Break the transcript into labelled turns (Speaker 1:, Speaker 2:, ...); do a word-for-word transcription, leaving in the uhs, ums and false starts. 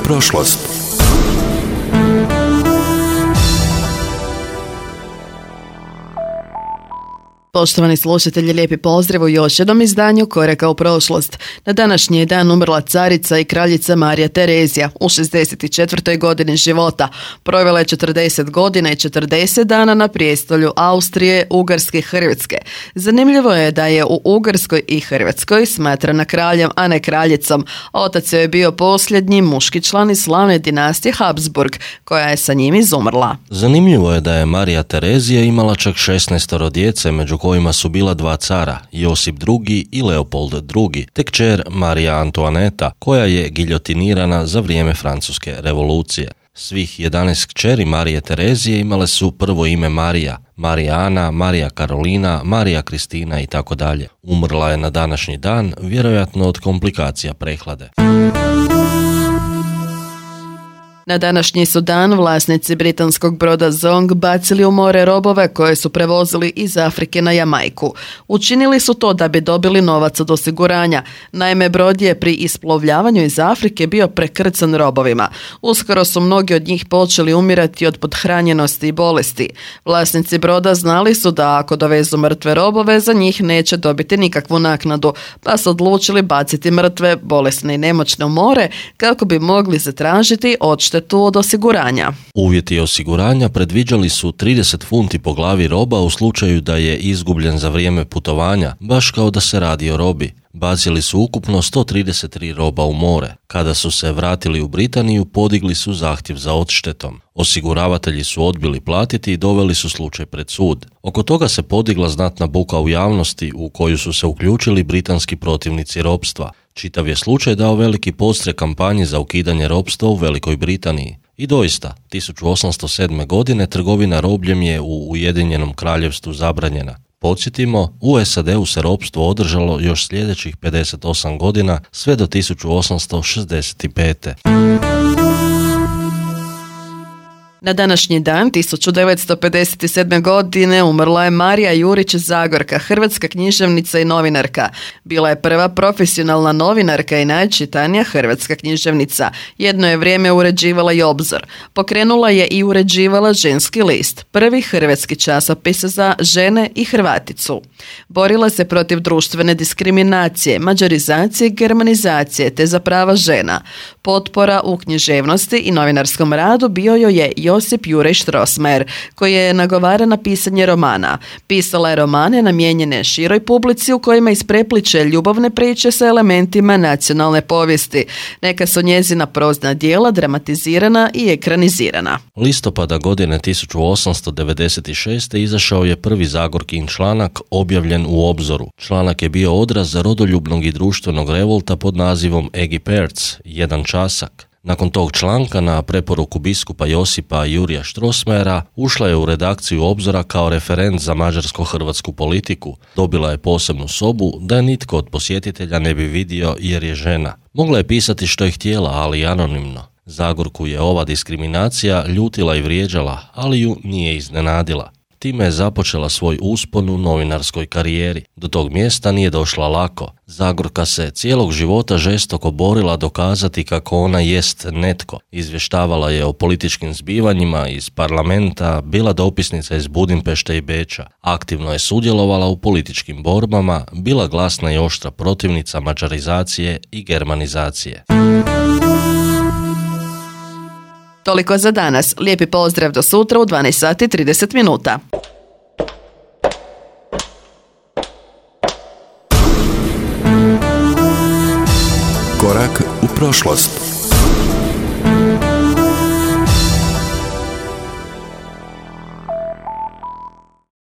Speaker 1: prošlost.
Speaker 2: Poštovani slušatelji, lijepi pozdrav u još jednom izdanju Koraka u prošlost. Na današnji je dan umrla carica i kraljica Marija Terezija u šezdeset četvrtoj godini života. Provela je četrdeset godina i četrdeset dana na prijestolju Austrije, Ugarske i Hrvatske. Zanimljivo je da je u Ugarskoj i Hrvatskoj smatrana kraljem, a ne kraljicom. Otac je bio posljednji muški član iz slavne dinastije Habsburg, koja je sa njim izumrla.
Speaker 3: Zanimljivo je da je Marija Terezija imala čak šesnaestoro djece, među kojima su bila dva cara, Josip drugi i Leopold drugi, te kćer Marija Antoaneta, koja je giljotinirana za vrijeme Francuske revolucije. Svih jedanaest kćeri Marije Terezije imale su prvo ime Marija, Marija Ana, Marija Karolina, Marija Kristina i tako dalje. Umrla je na današnji dan, vjerojatno od komplikacija prehlade.
Speaker 2: Na današnji su dan vlasnici britanskog broda Zong bacili u more robove koje su prevozili iz Afrike na Jamajku. Učinili su to da bi dobili novac od osiguranja. Naime, brod je pri isplovljavanju iz Afrike bio prekrcan robovima. Uskoro su mnogi od njih počeli umirati od pothranjenosti i bolesti. Vlasnici broda znali su da ako dovezu mrtve robove, za njih neće dobiti nikakvu naknadu, pa su odlučili baciti mrtve, bolesne i nemoćne u more kako bi mogli zatražiti odštetu tu od osiguranja.
Speaker 3: Uvjeti osiguranja predviđali su trideset funti po glavi roba u slučaju da je izgubljen za vrijeme putovanja, baš kao da se radi o robi. Bacili su ukupno sto trideset tri roba u more. Kada su se vratili u Britaniju, podigli su zahtjev za odštetom. Osiguravatelji su odbili platiti i doveli su slučaj pred sud. Oko toga se podigla znatna buka u javnosti u koju su se uključili britanski protivnici ropstva. Čitav je slučaj dao veliki podstrek kampanji za ukidanje ropstva u Velikoj Britaniji. I doista, tisuću osamsto sedme. godine trgovina robljem je u Ujedinjenom Kraljevstvu zabranjena. Podsjetimo, u S A D-u se ropstvo održalo još sljedećih pedeset osam godina sve do tisuću osamsto šezdeset pete.
Speaker 2: Na današnji dan, tisuću devetsto pedeset sedme. godine, umrla je Marija Jurić Zagorka, hrvatska književnica i novinarka. Bila je prva profesionalna novinarka i najčitanija hrvatska književnica. Jedno je vrijeme uređivala i Obzor. Pokrenula je i uređivala Ženski list, prvi hrvatski časopis za žene i Hrvaticu. Borila se protiv društvene diskriminacije, mađarizacije i germanizacije, te za prava žena. Potpora u književnosti i novinarskom radu bio joj je Josip Juraj Strossmayer, koji je nagovaran na pisanje romana. Pisala je romane namijenjene široj publici u kojima isprepliče ljubavne priče sa elementima nacionalne povijesti. Neka su njezina prozna djela dramatizirana i ekranizirana.
Speaker 3: Listopada godine tisuću osamsto devedeset šeste. izašao je prvi Zagorkin članak objavljen u Obzoru. Članak je bio odraz rodoljubnog i društvenog revolta pod nazivom Egi Perc, jedan časak. Nakon tog članka, na preporuku biskupa Josipa Jurija Strossmayera, ušla je u redakciju Obzora kao referent za mađarsko-hrvatsku politiku. Dobila je posebnu sobu da je nitko od posjetitelja ne bi vidio jer je žena. Mogla je pisati što je htjela, ali anonimno. Zagorku je ova diskriminacija ljutila i vrijeđala, ali ju nije iznenadila. Time je započela svoj uspon u novinarskoj karijeri. Do tog mjesta nije došla lako. Zagorka se cijelog života žestoko borila dokazati kako ona jest netko. Izvještavala je o političkim zbivanjima iz parlamenta, bila dopisnica iz Budimpešte i Beča. Aktivno je sudjelovala u političkim borbama, bila glasna i oštra protivnica mađarizacije i germanizacije.
Speaker 2: Toliko za danas. Lijepi pozdrav do sutra u dvanaest sati i trideset minuta.
Speaker 1: Korak u prošlost.